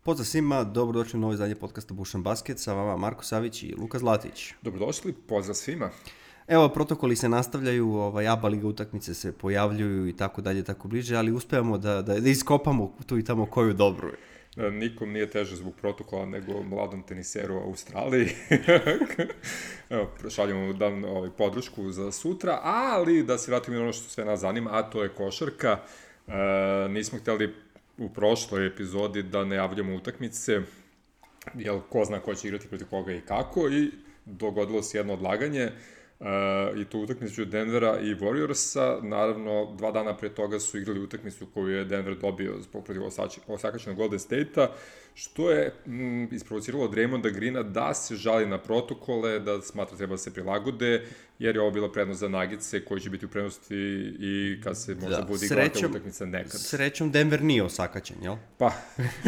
Pozdrav svima, dobrodošli u novo izdanje podcasta Bušan Basket, sa vama Marko Savić i Luka Zlatić. Dobrodošli, pozdrav svima. Evo, protokoli se nastavljaju, ABA liga utakmice se pojavljuju i tako dalje, tako bliže, ali uspevamo da iskopamo tu i tamo koju dobru je. Nikom nije teže zbog protokola nego mladom teniseru u Australiji. Evo, šaljamo dan podršku za sutra, ali da se vratimo na ono što sve nas zanima, a to je košarka. Nismo htjeli u prošloj epizodi da najavljamo utakmice, jer ko zna ko će igrati protiv koga i kako, i dogodilo se jedno odlaganje, i to utakmicu Denvera i Warriorsa. Naravno, 2 dana pre toga su igrali utakmicu koju je Denver dobio zbog protiv osakačenog Golden State-a, što je isprovociralo Draymonda Greena da se žali na protokole, da smatra treba da se prilagode, jer je ovo bila prednost za Nuggetse koji će biti u prednosti i kad se možda bude igrati utakmica nekad. Srećom Denver nije osakačen, jel? Pa,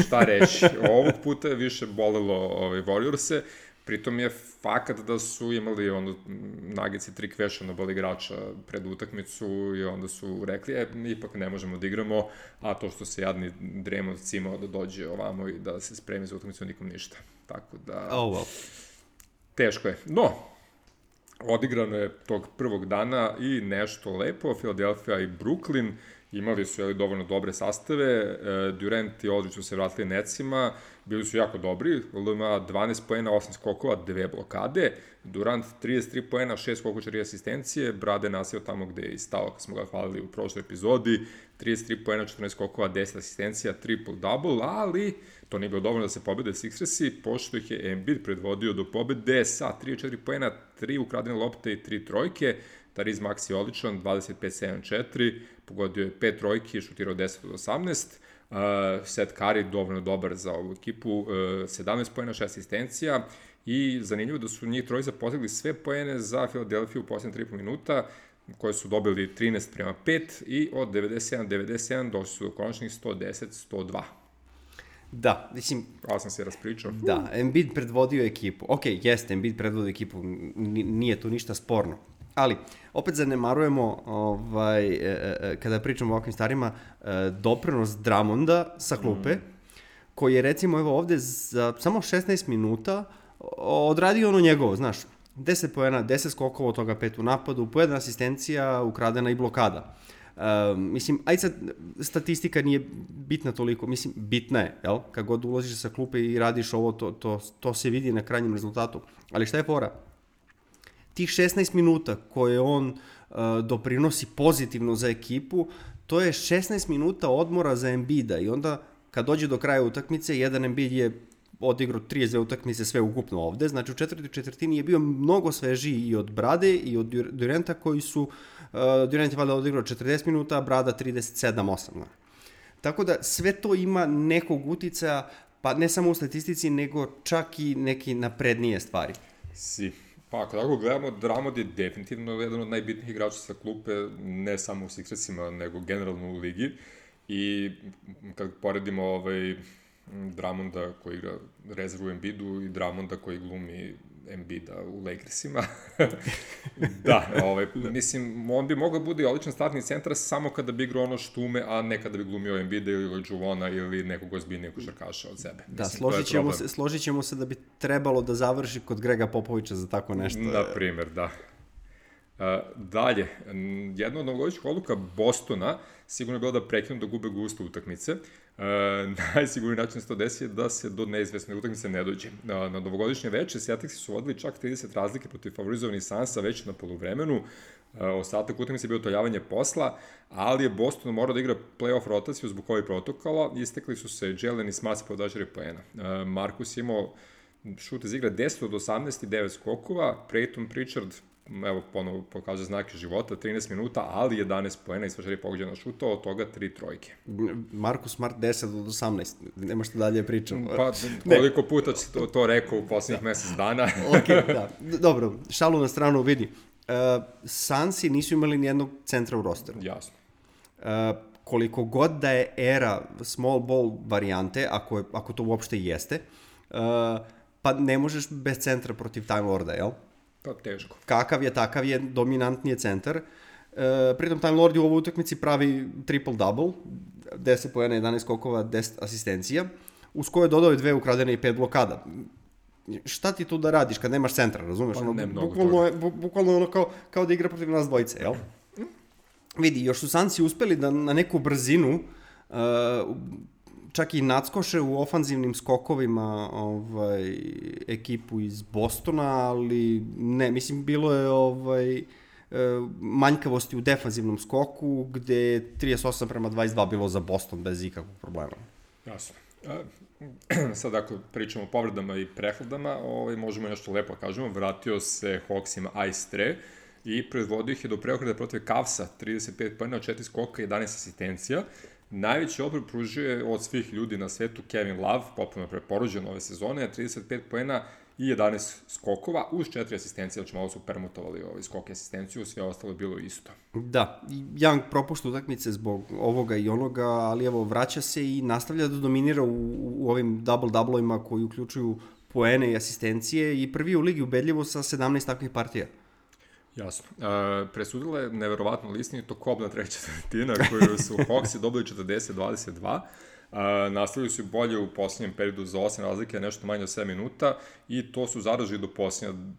šta reći, ovog puta je više bolelo Warriorse. Pritom je fakat da su imali Nuggetsi 3 questionable igrača pred utakmicu i onda su rekli, ipak ne možemo da igramo, a to što se jadni Draymond cimao da dođe ovamo i da se spremi za utakmicu, nikom ništa. Tako da, teško je. No, odigrano je tog prvog dana i nešto lepo. Philadelphia i Brooklyn imali su dovoljno dobre sastave. Durant i Aldridge su se vratili Netsima, bili su jako dobri. LMA 12 poena, 8 skokova, 2 blokade. Durant 33 poena, 6 skokova, 4 asistencije. Brade nasio tamo gde je stao, kad smo ga hvalili u prošloj epizodi. 33 poena, 14 skokova, 10 asistencija, triple-double, ali to nije bilo dovoljno da se pobede Sixersi, pošto ih je Embiid predvodio do pobede sa 34 poena, 3 ukradene lopte i 3 trojke. Tariz Maxi odličan, 25-7-4, pogodio je 5 trojki i šutirao 10 od 18. Seth Curry dovoljno dobar za ovu ekipu, 17 poena, 6 asistencija, i zanimljivo da su njih trojica postigli sve poene za Philadelphia u posljednje 3,5 minuta, koje su dobili 13-5 i od 97-97 došli su do konačnih 110-102. Da, mislim... Ja sam se raspričao. Da, Embiid predvodio ekipu. Ok, jeste, Embiid predvodio ekipu, nije tu ništa sporno. Ali, opet zanemarujemo, kada pričamo o ovakvim starima, doprinos Drummonda sa klupe, koji je, recimo, evo ovde za samo 16 minuta odradio ono njegovo, znaš, 10 poena, 10 skokova, od toga 5 u napadu, po 1 asistencija, ukradena i blokada. Mislim, ajde sad, statistika nije bitna toliko, mislim, bitna je, jel? Kad god ulaziš sa klupe i radiš ovo, to se vidi na krajnjem rezultatu. Ali šta je fora? Tih 16 minuta koje on doprinosi pozitivno za ekipu, to je 16 minuta odmora za Embida, i onda kad dođe do kraja utakmice, jedan Embiid je odigrao 32 utakmice sve ukupno ovde, znači u četvrtoj četvrtini je bio mnogo svežiji i od Brade i od Duranta, koji su, Durant je valjda odigrao 40 minuta, a Brada 37-8. Tako da sve to ima nekog uticaja, pa ne samo u statistici, nego čak i neke naprednije stvari. Pa ako tako gledamo, Drummond je definitivno jedan od najbitnijih igrača sa klupe, ne samo u Sixersima, nego generalno u ligi. I kad poredimo Drummonda koji igra rezervu u Embiidu i Drummonda koji glumi Embiida u Lakersima, da, mislim, on bi mogao bude odličan startni centar samo kada bi igrao ono što ume, a ne kada bi glumio Embiida ili Juvona ili nekog ozbiljnijeg košarkaša od sebe. Da, složit ćemo se da bi trebalo da završi kod Grega Popovića za tako nešto. Na primjer, da. Dalje, jedna od novogodišnjih odluka Bostona sigurno je bilo da prekinu da gube gusto utakmice. Najsigurniji način se to desi je da se do neizvesne utakmice ne dođe. Na novogodišnje veče Celticsi su vodili čak 30 razlike protiv favorizovanih Sansa već na poluvremenu. Ostatak utakmice je bio toljavanje posla, ali je Boston morao da igra play-off rotaciju zbog ovih protokola. Istekli su se Jalen i Smart po 24 poena. Marcus je imao šut iz igre 10 od 18 i 9 skokova, Peyton Pritchard, evo ponovo pokazuje znake života, 13 minuta, ali 11 poena i sva 4 pogođena šuta, od toga 3 trojke. Marcus Smart 10 od 18, nema što dalje pričam. Pa koliko puta će to rekao u poslednjih mesec dana. Ok, da. Dobro, šalu na stranu, vidi. Sansi nisu imali nijednog centra u rosteru. Jasno. Koliko god da je era small ball varijante, ako to uopšte jeste, pa ne možeš bez centra protiv Time Lorda, jel? Pa teško. Kakav je, takav je, dominantni je centar. Pritom Time Lord u ovoj utakmici pravi triple-double, 10 poena, 11 skokova, 10 asistencija. uz koje dodao je 2 ukradene i 5 blokada. Šta ti tu da radiš kad nemaš centra, razumeš? Pa ne mnogo bukvalno ono kao da igra protiv nas dvojice, jel? Vidi, još su Sanci uspeli da na neku brzinu čak i nadskoše u ofanzivnim skokovima ekipu iz Bostona, ali ne, mislim, bilo je manjkavosti u defanzivnom skoku, gde je 38:22 bilo za Boston bez ikakvog problema. Jasno. Sad ako pričamo o povredama i prehladama, možemo nešto lepo kažemo. Vratio se Hawksima Ice Tre i predvodio ih je do preokreta protiv Cavsa, 35 poena, 4 skoka i 11 asistencija. Najveći obrok pružio je od svih ljudi na svetu Kevin Love, potpuno preporođen ove sezone, 35 poena i 11 skokova, uz 4 asistencije, znači malo su permutovali skok i asistenciju, sve ostalo je bilo isto. Da, Young propušta utakmice zbog ovoga i onoga, ali evo, vraća se i nastavlja da dominira u ovim double-doublovima koji uključuju poene i asistencije i prvi u ligi ubedljivo sa 17 takvih partija. Jasno. Presudila je neverovatno listinito kobna treća četvrtina koju su Hawksi dobili 40-22. Nastavili su bolje u posljednjem periodu za 8 razlike, nešto manje od 7 minuta i to su zadržali do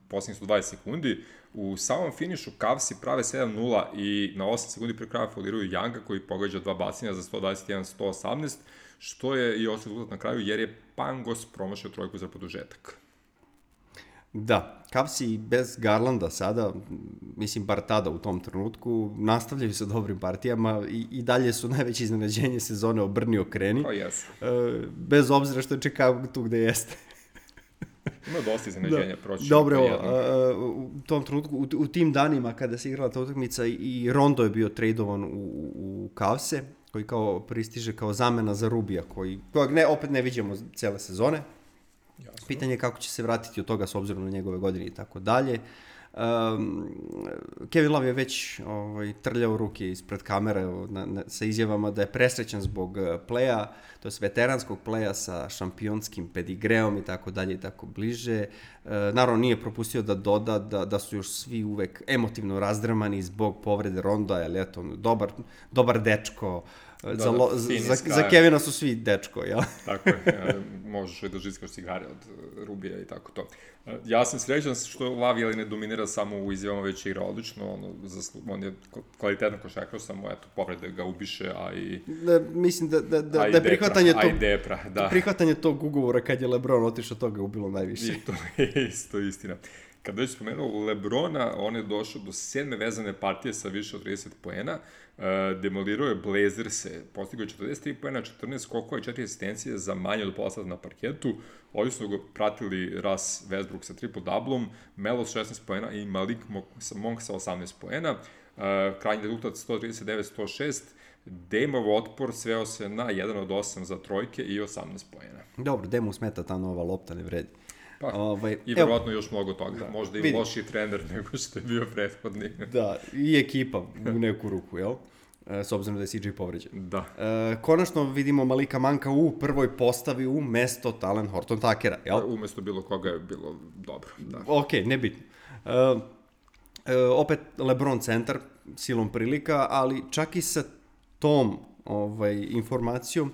posljednjih 120 sekundi. U samom finišu Cavsi prave 7-0 i na 8 sekundi pre kraja fauliraju Younga koji pogađa 2 bacanja za 121-118, što je i ostao rezultat na kraju jer je Pangos promašio trojku za produžetak. Da, Cavsi bez Garlanda sada, mislim bar tada u tom trenutku, nastavljaju sa dobrim partijama i dalje su najveće iznenađenje sezone obrni okreni. Pa jesu. Bez obzira što je Chicago tu gde jeste. Ima dosta iznenađenja, proći. Dobro, u tom trenutku, u tim danima kada se igrala ta utakmica i Rondo je bio tradovan u Cavse, koji kao pristiže kao zamena za Rubija, kojeg opet ne vidimo cele sezone. Jasno. Pitanje je kako će se vratiti od toga s obzirom na njegove godine i tako dalje. Kevin Love je već trljao ruke ispred kamere sa izjavama da je presrećan zbog pleja, to je veteranskog pleja sa šampionskim pedigreom i tako dalje i tako bliže. Naravno nije propustio da doda da su još svi uvek emotivno razdrmani zbog povrede Ronda, jer eto, dobar dečko. Za Kevina su svi dečko, jel? Tako je, možeš da žitkaš cigare od Rubija i tako to. Ja sam srećan što Love ne dominira samo u izjavama, već igra odlično, on je kvalitetan košarkaš, samo povrede ga ubiše, a i... Mislim da je prihvatanje tog ugovora kad je LeBron otišao, toga ubilo najviše. I to je isto istina. Kada već spomenuo LeBrona, on je došao do 7. vezane partije sa više od 30 poena, demolirao je Blazerse, postigao je 43 poena, 14 skokova i 4 asistencije za manje od pola sata na parketu. Ovdje su ga pratili Russ Westbrook sa triple-doublom, Melo s 16 poena i Malik Monk sa 18 poena. Krajnji rezultat 139-106, Dameov otpor sveo se na 1 od 8 za trojke i 18 poena. Dobro, Dameu smeta ta nova lopta, ne vredi. I verovatno još mnogo toga. Da, možda i lošiji trener nego što je bio prethodni. Da, i ekipa u neku ruku, jel? S obzirom da je CJ povređen. Da. Konačno vidimo Malika Monka u prvoj postavi u mesto Talen Horton Tuckera, jel? Umesto bilo koga je bilo dobro, da. Ok, nebitno. Opet LeBron centar, silom prilika, ali čak i sa tom informacijom,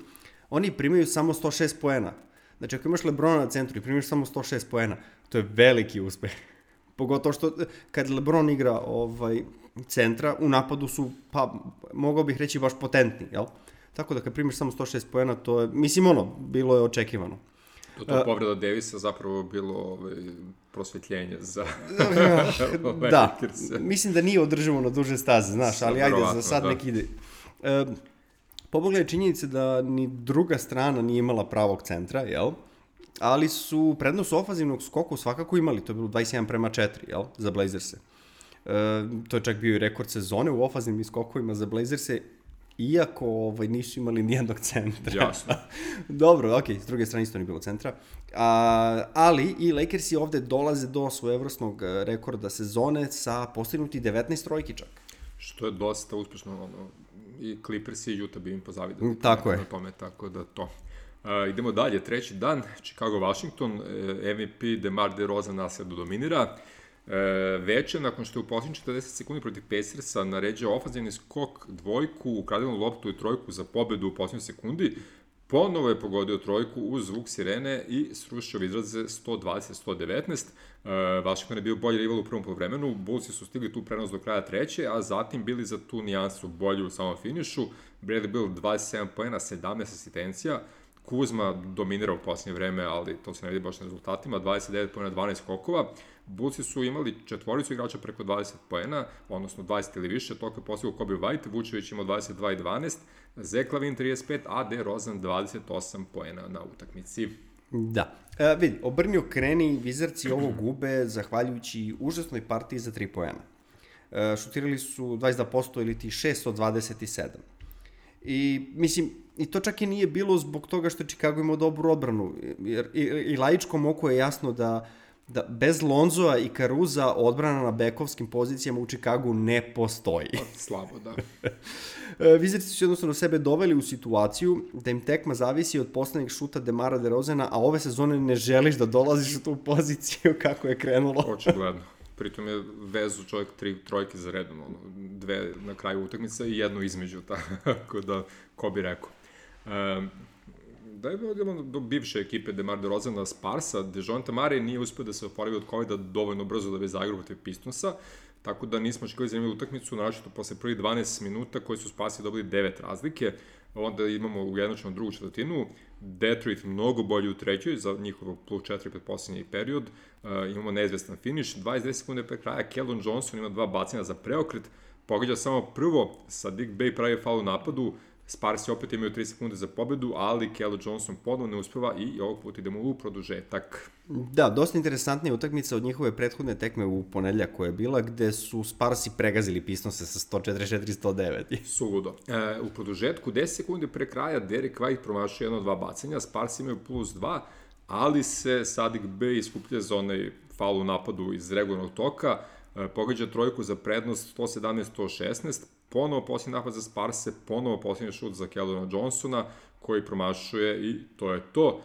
oni primaju samo 106 poena. Znači, ako imaš LeBrona na centru i primiš samo 106 poena, to je veliki uspeh. Pogotovo što kad LeBron igra centra, u napadu su, pa, mogao bih reći, baš potentni, jel? Tako da kad primiš samo 106 poena, to je, mislim, bilo je očekivano. To povreda Davisa zapravo bilo prosvetljenje za da, mislim da nije održivo na duže staze, znaš, ali ajde, za sad nek ide. Pobogla je činjenice da ni druga strana nije imala pravog centra, jel? Ali su prednost ofanzivnog skoku svakako imali, to je bilo 21:4, jel? Za Blazerse. To je čak bio i rekord sezone u ofanzivnim skokovima za Blazerse, iako nisu imali nijednog centra. Jasno. Dobro, ok, s druge strane isto nije bilo centra. Ali i Lakersi ovde dolaze do svojevrsnog rekorda sezone sa postignuti 19 trojki čak. Što je dosta uspešno, i Clippers i Utah bi im pozavidali. Tako je. Tako da to. Idemo dalje, treći dan, Chicago-Washington, MVP DeMar DeRozan nasljedno dominira. Veče, nakon što je u posljednjih 40 sekundi protiv Pacersa naređao ofanzivni skok, dvojku, ukradenu loptu i trojku za pobedu u posljednjoj sekundi, ponovo je pogodio trojku uz zvuk sirene i srušio izraze 120-119. Washington je bio bolji rival u prvom poluvremenu, Bullsi su stigli tu prenos do kraja treće, a zatim bili za tu nijansu bolji u samom finišu. Bradley Beal 27 poena, 17 asistencija, Kuzma dominirao u posljednje vreme, ali to se ne vidi baš na rezultatima, 29 poena, 12 skokova. Bullsi su imali četvoricu igrača preko 20 poena, odnosno 20 ili više, toliko je postigao Kobe White, Vučević imao 22 i 12, Zach LaVine 35, a DeRozan 28 poena na utakmici. Da. Vidi, obrni okreni, Wizardsi ovo gube zahvaljujući užasnoj partiji za 3 poena. Šutirali su 22% ili ti 6 od 27. I, mislim, i to čak i nije bilo zbog toga što Chicago imao dobru odbranu, jer i laičkom oku je jasno da bez Lonzoa i Caruza odbrana na bekovskim pozicijama u Chicagu ne postoji. Slabo, da. Wizardsi su jednostavno sebe doveli u situaciju da im tekma zavisi od poslednjeg šuta DeMara DeRozana, a ove sezone ne želiš da dolaziš u tu poziciju kako je krenulo. Očigledno. Pritom je vezu čovjek 3 trojke za redom, 2 na kraju utakmice i 1 između, tako da, ko bi rekao. Da je bilo do bivše ekipe DeMar DeRozana Sparsa, Dejounte Murray nije uspio da se oporavi od COVID-a dovoljno brzo da bi zaigrao protiv Pistonsa, tako da nismo očekivali zanimljivu utakmicu, naročito posle prvih 12 minuta koji su Sparsi dobili 9 razlike, onda imamo ujednačenu drugu četvrtinu, Detroit mnogo bolji u trećoj za njihovo plus 4 pred posljednji period, imamo neizvestan finish, 22 sekunde pre kraja, Keldon Johnson ima 2 bacanja za preokret, pogađa samo prvo, Saddiq Bey pravi faul u napadu, Sparsi opet imaju 3 sekunde za pobedu, ali Keldon Johnson ponovno ne uspeva i ovog puta idemo u produžetak. Da, dosta interesantnija utakmica od njihove prethodne tekme u ponedeljak koja je bila, gde su Sparsi pregazili Pistonse sa 144-109. Suludo. U produžetku 10 sekunde pre kraja Derek White promašuje 1-2 bacanja, Sparsi imaju plus 2, ali se Saddiq Bey iskuplja za onaj faul u napadu iz regularnog toka, pogađa trojku za prednost 117-116, ponovo posljednji napad za Sparse, ponovo posljednji šut za Keldona Johnsona, koji promašuje i to je to.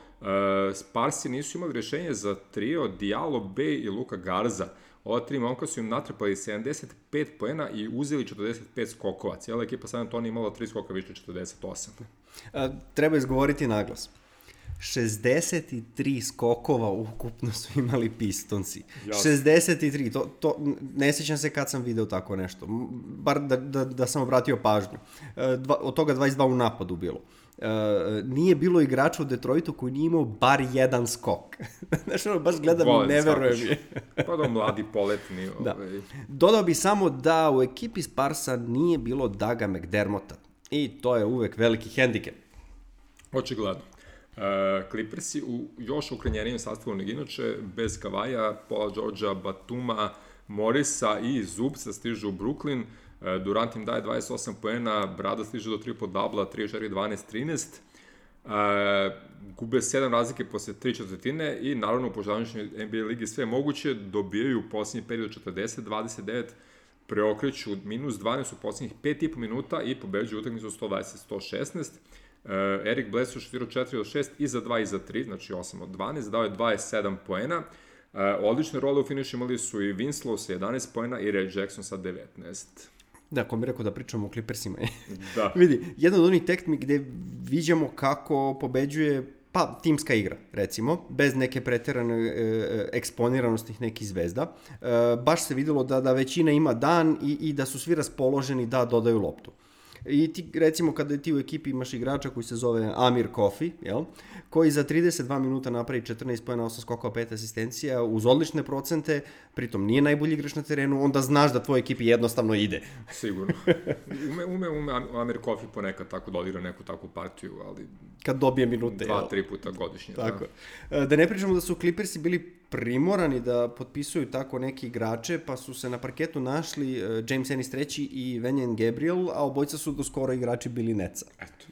Sparsi nisu imali rješenje za trio Diallo, Bey i Luka Garza. Ova 3 momka su im natrpali 75 poena i uzeli 45 skokova. Cijela ekipa San Antonio imala 3 skoka više od 48. Treba izgovoriti naglas. 63 skokova ukupno su imali Pistonsi. Jasne. 63, to ne sjećam se kad sam video tako nešto. Bar da sam obratio pažnju. Od toga 22 u napadu bilo. Nije bilo igrača u Detroitu koji nije imao bar jedan skok. Znaš, ono, baš gledam i ne verujem je. Pa da mladi poletni. Da. Dodao bi samo da u ekipi Sparsa nije bilo Daga McDermotta. I to je uvek veliki hendikep. Očigledno. Clippersi u još ukrenjenijem sastavu nego inače, bez Kavaja, Paula Georgea, Batuma, Morisa i Zubca stižu u Brooklyn. Durant im daje 28 poena, Brada stiže do triple-dubla, 34, 12, 13. Gube 7 razlike posle 3 četvrtine i naravno u požavničnoj NBA ligi sve moguće, dobijaju u posljednji period 40-29, preokreću minus 12 u posljednjih 5,5 minuta i pobeđuju utakmicu 120-116. Eric Bledsoe šutirao 4 od 6 i za 2 i za 3, znači 8 od 12, dao je 27 poena. Odlične role u finišu imali su i Winslow sa 11 poena i Ray Jackson sa 19. Da, ko mi rekao da pričamo o Clippersima. Da. Vidi, jedan od onih tekmi gde viđamo kako pobeđuje timska igra, recimo, bez neke preterane eksponiranosti nekih zvezda. Baš se videlo da većina ima dan i da su svi raspoloženi da dodaju loptu. I ti, recimo, kada ti u ekipi imaš igrača koji se zove Amir Kofi, jel? Koji za 32 minuta napravi 14 pojena, 8 skokova, 5 asistencija, uz odlične procente, pritom nije najbolji igrač na terenu, onda znaš da tvoj ekipi jednostavno ide. Sigurno. Ume Amir Kofi ponekad tako dodira neku takvu partiju, ali... Kad dobije minute, 2-3 puta godišnje. Tako. Da ne pričamo da su Clippersi bili primorani da potpisuju tako neki igrače, pa su se na parketu našli James Ennis III i Wenyen Gabriel, a obojica su do skoro igrači bili Netsa. Eto.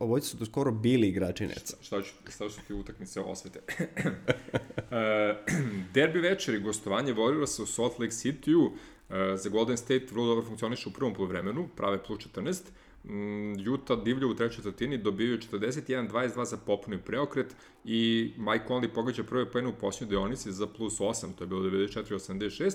Obojica su do skoro bili igrači Netsa. Šta su ti utakmice osvete? Derbi večeri, gostovanje Warriorsa u Salt Lake City-u, za Golden State vrlo dobro funkcioniše u prvom poluvremenu, prave plus 14, Utah divlja u trećoj četvrtini, dobijaju 41-22 za popuni preokret i Mike Conley pogađa prve poene u posljednjoj deonici za plus 8, to je bilo 94-86.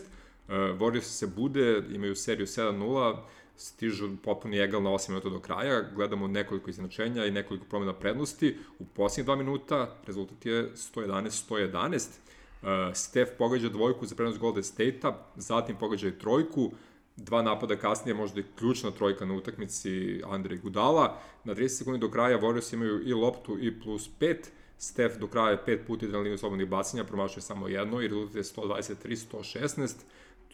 Warriors se bude, imaju seriju 7-0, stižu potpuni egal na 8 minuta do kraja, gledamo nekoliko izjednačenja i nekoliko promjena prednosti. U posljednjih 2 minuta rezultat je 111-111. Steph pogađa dvojku za prenos Golden State-a, zatim pogađa i trojku, 2 napada kasnije, možda i ključna trojka na utakmici Andre Iguodala. Na 30 sekundi do kraja Warriors imaju i loptu i plus 5. Steph do kraja je 5 puta na liniju slobodnih bacanja, promašuje samo jedno i rezultat je 123-116.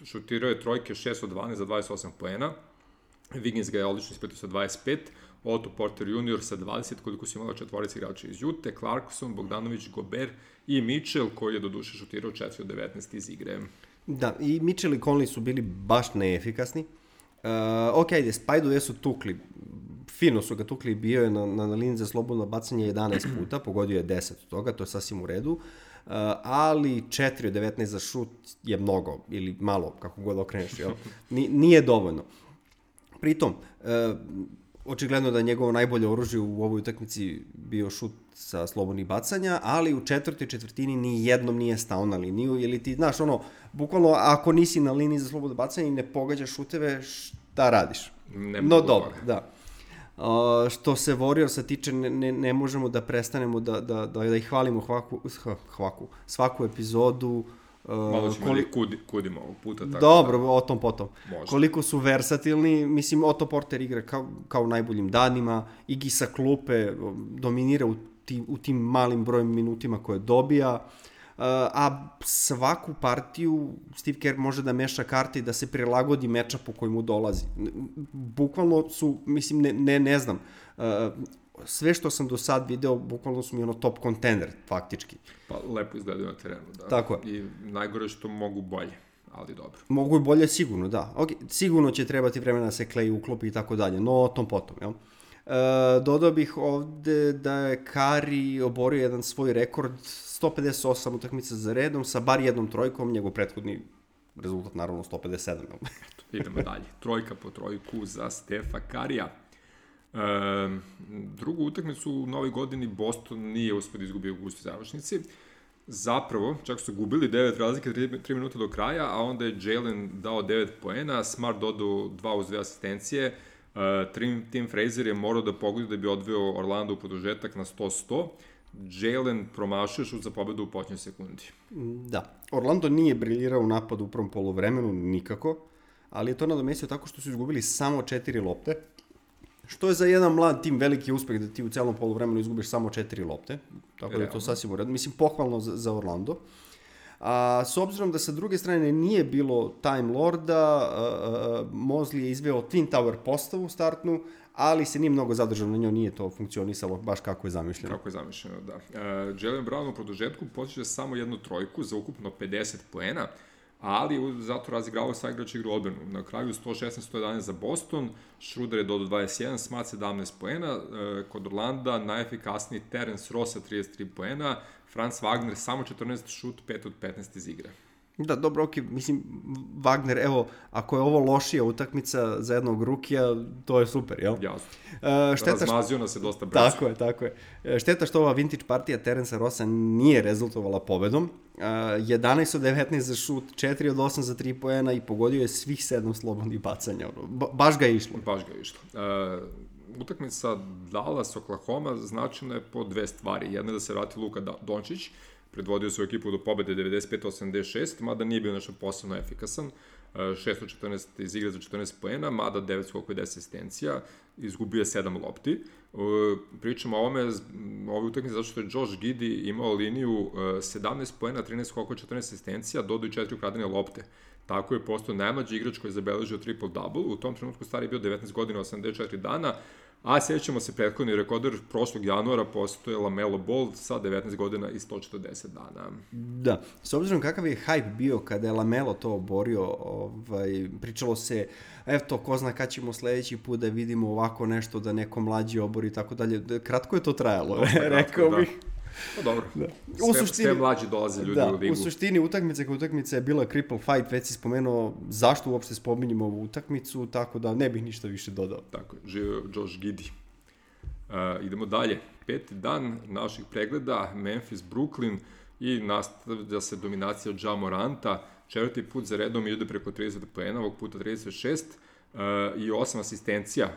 Šutirao je trojke 6 od 12 za 28 poena. Wiggins ga je odlično ispratio sa 25, Otto Porter Jr. sa 20, koliko su imali četvorica igrača iz Jute, Clarkson, Bogdanović, Gobert i Mitchell, koji je do duše šutirao 4 od 19 iz igre. Da, i Mitchell i Conley su bili baš neefikasni. Ok, ajde, Spajdu gde su tukli, fino su ga tukli, bio je na liniji za slobodno bacanje 11 puta, pogodio je 10 od toga, to je sasvim u redu, ali 4 od 19 za šut je mnogo, ili malo, kako god okreneš, jel? Nije dovoljno. Pritom, očigledno da je njegovo najbolje oružje u ovoj utakmici bio šut sa slobodnih bacanja, ali u četvrtoj četvrtini ni jednom nije stao na liniju, ili ti, znaš, bukvalno, ako nisi na liniji za slobodno bacanje i ne pogađaš šuteve, šta radiš? No dobro, da. Što se Warriorsa tiče, ne možemo da prestanemo da ih hvalimo svaku epizodu. Malo ćemo kudimo ovog puta. Tako dobro, o tom potom. Možda. Koliko su versatilni, mislim, Otto Porter igra kao u najboljim danima, Iggy sa klupe dominira u tim malim brojem minutima koje dobija, a svaku partiju Steve Kerr može da meša karte i da se prilagodi mečapu koji mu dolazi. Bukvalno su, mislim, ne znam, sve što sam do sad video, bukvalno su mi top contender, faktički. Pa lepo izgledaju na terenu, da. Tako je. I najgore što mogu bolje, ali dobro. Mogu i bolje, sigurno, da. Okay. Sigurno će trebati vremena da se Klay uklopi i tako dalje, no o tom potom, jel? Dodao bih ovde da je Curry oborio jedan svoj rekord, 158 utakmica za redom, sa bar jednom trojkom, njegov prethodni rezultat, naravno, 157. Idemo dalje. Trojka po trojku za Stefa Currya. Drugu utakmicu u novoj godini Boston nije uspio da izgubi u gustoj završnici. Zapravo, čak su gubili 9 razlike 3 minuta do kraja, a onda je Jalen dao 9 poena, Smart dodao 2 uz 2 asistencije, Tim Frazier je morao da pogodi da bi odveo Orlando u produžetak na 100-100. Jalen promašio šut za pobedu u početnoj sekundi. Da, Orlando nije briljirao u napadu u prvom poluvremenu nikako, ali je to nadomestio tako što su izgubili samo 4 lopte, što je za jedan mlad tim veliki uspeh da ti u celom poluvremenu izgubiš samo 4 lopte, tako da je to sasvim u redu. Mislim, pohvalno za Orlando. A s obzirom da sa druge strane nije bilo Time Lorda, Mosley je izveo Twin Tower postavu startnu, ali se nije mnogo zadržao na njoj, nije to funkcionisalo baš kako je zamišljeno. Kako je zamišljeno, da. Jalen Brown u produžetku postiže samo jednu trojku za ukupno 50 poena, ali zato razigravao sa igrač igru odbranu. Na kraju 116-111 za Boston, Schroeder je dodao 21, Smart 17 poena, kod Orlanda najefikasniji Terence Ross sa 33 poena, Franz Wagner samo 14 šut, 5 od 15 iz igre. Da, dobro, ok, mislim, Wagner, evo, ako je ovo lošija utakmica za jednog rukija, to je super, jel? Jasno. Razmazio nas je dosta brzo. Tako je. Šteta što ova vintage partija Terensa Rossa nije rezultovala pobedom. 11 od 19 za šut, 4 od 8 za 3 poena i pogodio je svih 7 slobodnih bacanja. Baš ga je išlo. Utakmica Dallas-Oklahoma značajna je po dve stvari. Jedna je da se vrati Luka Dončić, predvodio svoju ekipu do pobede 95-86, mada nije bio nešto posebno efikasan. 614 iz igre za 14 poena, mada 9 skokova i 10 asistencija, izgubio je 7 lopti. Pričamo o ovoj utakmici zato što je Josh Giddey imao liniju 17 poena, 13 skokova, 14 asistencija, dodao i 4 ukradene lopte. Tako je postao najmlađi igrač koji je zabeležio triple-double. U tom trenutku stari je bio 19 godina, 84 dana, a sjećamo se prethodni rekorder prošlog januara postoje LaMelo Ball sa 19 godina i 140 dana. Da, s obzirom kakav je hype bio kada je LaMelo to oborio, pričalo se, eto, ko zna kad ćemo sledeći put da vidimo ovako nešto, da neko mlađi obori i tako dalje. Kratko je to trajalo, rekao bih. Pa dobro, da. Sve mlađi dolaze ljudi u ligu. U suštini utakmica je bila cripple fight, već si spomenuo zašto uopšte spominjemo ovu utakmicu, tako da ne bih ništa više dodao. Tako je, živio Josh Giddey. Idemo dalje, 5. dan naših pregleda, Memphis, Brooklyn i nastavlja se dominacija od Ja Moranta, 4. put za redom ide preko 30 poena, ovog puta 36, i 8 asistencija.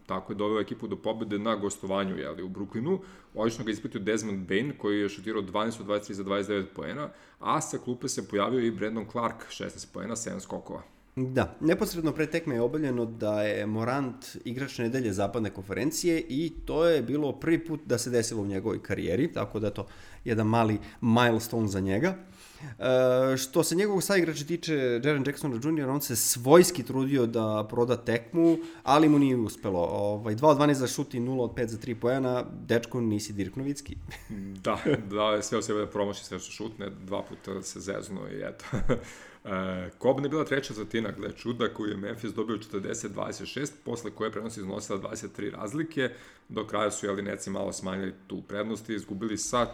Tako je doveo ekipu do pobede na gostovanju u Brooklynu. Odlično ga ispratio Desmond Bane, koji je šutirao 12 od 23 za 29 poena, a sa klupe se pojavio i Brandon Clark, 16 poena, 7 skokova. Da, neposredno pre tekme je objavljeno da je Morant igrač nedelje zapadne konferencije i to je bilo prvi put da se desilo u njegovoj karijeri, tako da je to jedan mali milestone za njega. Što se njegovog saigrača tiče, Jaren Jacksona Jr., on se svojski trudio da proda tekmu, ali mu nije uspelo. 2 od 12 za šut i 0 od 5 za 3 poena, dečko, nisi Dirk Novicki. Da, sve o sebe da promaši sve što šutne, 2 puta se zezno i eto. Kobne je bila treća četvrtina, gle čuda, koju je Memphis dobio 40-26, posle koje prednost iznosila 23 razlike, do kraja su Neci malo smanjili tu prednost i izgubili sa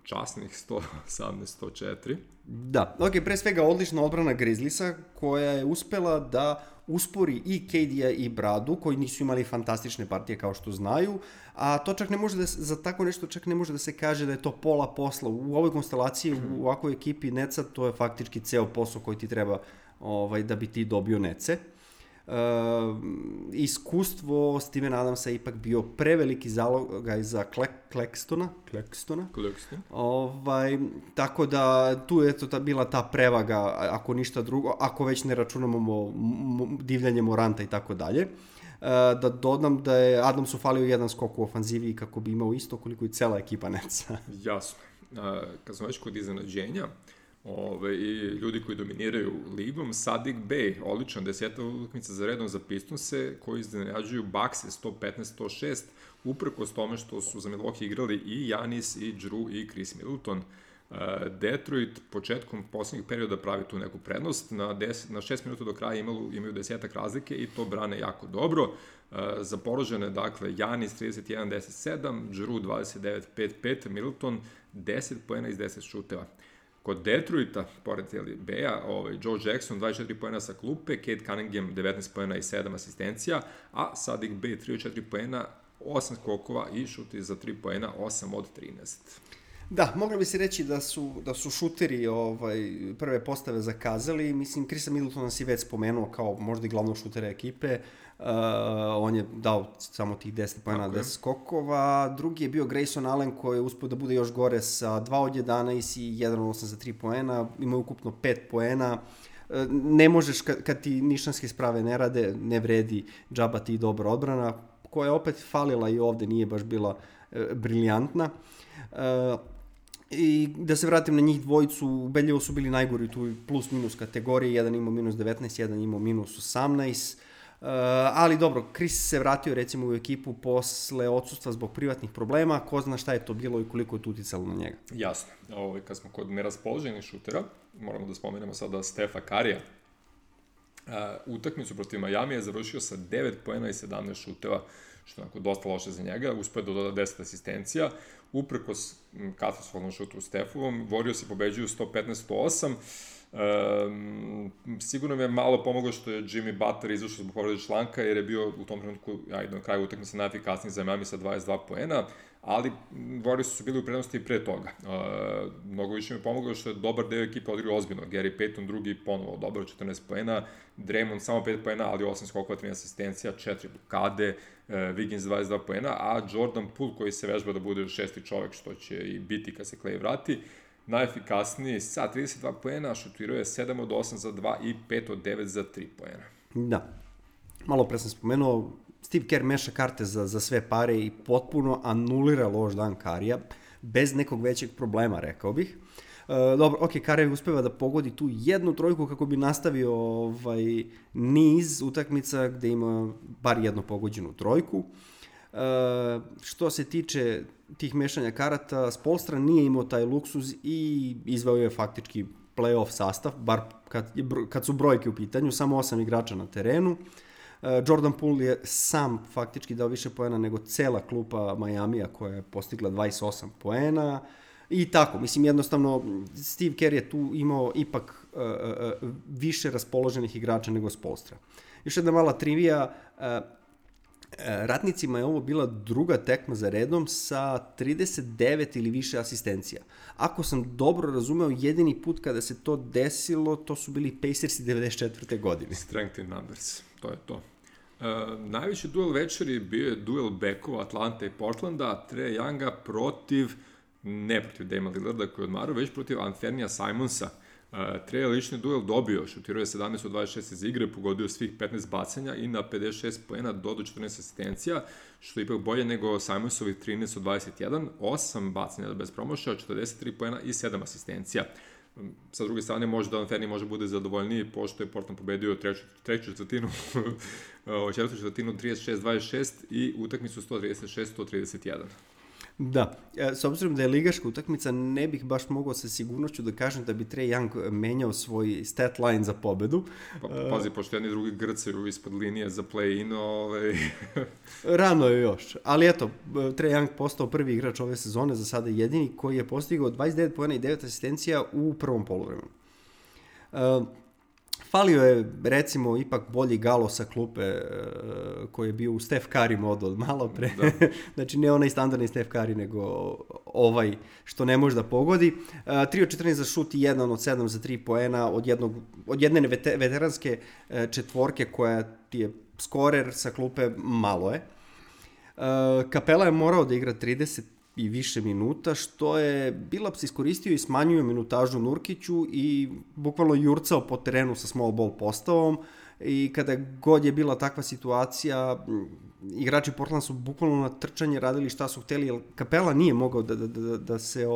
časnih 118-104. Da, pre svega odlična odbrana Grizzliesa, koja je uspela da uspori i KD-a i Bradu, koji nisu imali fantastične partije kao što znaju, a to čak ne može da za tako nešto čak ne može da se kaže da je to pola posla. U ovoj konstelaciji, u ovakvoj ekipi Neca, to je faktički ceo posao koji ti treba da bi ti dobio Nece. Iskustvo Steven Adamsa je ipak bio preveliki zalogaj za Claxtona. Tako da tu je bila ta prevaga, ako ništa drugo, ako već ne računamo divljanje Moranta i tako dalje. Da dodam da je Adamsu falio jedan skok u ofanzivi kako bi imao isto koliko i cela ekipa Netsa. Jasno. Kad smo već kod iznenađenja, i ljudi koji dominiraju ligom, Saddiq Bey, odličan 10. utakmica za redom za Pistonse, koji iznenađuju Buckse 115-106, uprkos tome što su za Milwaukee igrali i Giannis, i Jrue, i Chris Middleton. Detroit početkom poslednjeg perioda pravi tu neku prednost, na 6 minuta do kraja imaju 10 razlike i to brane jako dobro. Za porožene, dakle, Giannis 31-10-7, Jrue 29-5-5, Middleton 10 poena iz 10 šuteva. Kod Detroita, pored Beja, Joe Jackson 24 poena sa klupe, Cade Cunningham 19 poena i 7 asistencija, a Saddiq Bey 34 poena, 8 skokova i šuti za 3 poena, 8 od 13. Da, mogli bi se reći da su šuteri prve postave zakazali. Mislim, Chrisa Middletona si već spomenuo kao možda i glavnog šutera ekipe. On je dao samo tih 10 poena, 10 skokova. Drugi je bio Grayson Allen, koji je uspio da bude još gore sa 2 od 11 i 1 od 8 za 3 poena. Ima ukupno 5 poena. Ne možeš, kad ti nišanske sprave ne rade, ne vredi džaba ti dobra odbrana, koja je opet falila i ovde, nije baš bila briljantna. I da se vratim na njih dvojicu, ubedljivo su bili najgori tu plus minus kategoriji, jedan imao minus 19, jedan imao minus 18, ali dobro, Chris se vratio recimo u ekipu posle odsustva zbog privatnih problema, ko zna šta je to bilo i koliko je to uticalo na njega. Jasno, kad smo kod neraspoloženih šutera, moramo da spomenemo sada Stefa Karija. Utakmicu protiv Miami je završio sa 9 poena i 17 šuteva, što je onako dosta loše za njega, uspeo da doda 10 asistencija, uprkos katastrofalnom šutu Stefovom, Warriors pobeđuju 115-108, sigurno mi je malo pomoglo što je Jimmy Butler izašao zbog povrede članka, jer je bio u tom trenutku, na kraju utakmice najefikasniji za Miami sa 22 poena, ali Warriors su bili u prednosti i pre toga. Mnogo više mi je pomoglo što je dobar deo ekipe odigrao ozbiljno. Gary Payton drugi ponovo dobro, 14 poena, Draymond samo 5 poena, ali 8 skokova, 13 asistencija, 4 blokade, Wiggins 22 poena, a Jordan Poole, koji se vežba da bude šesti čovek, što će i biti kad se Clay vrati, najefikasniji sa 32 poena, šutirao je 7 od 8 za 2 i 5 od 9 za 3 poena. Da, malo pre sam spomenuo, Steve Kerr meša karte za sve pare i potpuno anulira loš dan Karija, bez nekog većeg problema, rekao bih. Dobro, Karija uspeva da pogodi tu jednu trojku kako bi nastavio niz utakmica gde ima bar jednu pogođenu trojku. Što se tiče tih mešanja karata, Spoelstra nije imao taj luksuz i izveo je faktički play-off sastav, bar kad su brojke u pitanju, samo 8 igrača na terenu. Jordan Poole je sam faktički dao više poena nego cela klupa Majamija koja je postigla 28 poena i tako, mislim jednostavno Steve Kerr je tu imao ipak više raspoloženih igrača nego Spoelstra. Još jedna mala trivija, Ratnicima je ovo bila druga tekma za redom sa 39 ili više asistencija. Ako sam dobro razumeo, jedini put kada se to desilo, to su bili Pacersi 94. godine. Strength in numbers. To je to. Najveći duel večeri bio je duel bekova Atlanta i Portlanda, Trae Younga ne protiv Damiana Lillarda koji je odmarao, već protiv Anthony'a Simonsa. Trae je lični duel dobio, šutirao je 17 od 26 iz igre, pogodio svih 15 bacanja i na 56 poena dodao 14 asistencija, što je ipak bolje nego Simonsovih 13 od 21, 8 bacanja bez promašaja, 43 poena i 7 asistencija. Sa druge strane, možda Anthony može bude zadovoljniji, pošto je Portland pobedio treću četvrtinu, četvrtu četvrtinu 36-26 i utakmicu 136-131. Da, s obzirom da je ligaška utakmica, ne bih baš mogao sa sigurnošću da kažem da bi Trae Young menjao svoj stat line za pobedu. Pazi, pošto jedni drugi grcaju ispod linije za play-in, Rano je još, ali eto, Trae Young postao prvi igrač ove sezone, za sada jedini, koji je postigao 29 poena i 9 asistencija u prvom poluvremenu. Falio je, recimo, ipak bolji Galo sa klupe koji je bio u Steph Curry modu od malo pre. Znači, ne onaj standardni Steph Curry, nego ovaj što ne može da pogodi. 3 od 14 za šut i 1 od 7 za 3 poena od jedne veteranske četvorke koja ti je skorer sa klupe, malo je. Capela je morao da igra 30 i više minuta, što je Billups iskoristio i smanjio minutažu Nurkiću i bukvalno jurcao po terenu sa small ball postavom, i kada god je bila takva situacija, igrači Portlanda su bukvalno na trčanje radili šta su hteli, jer Capela nije mogao da se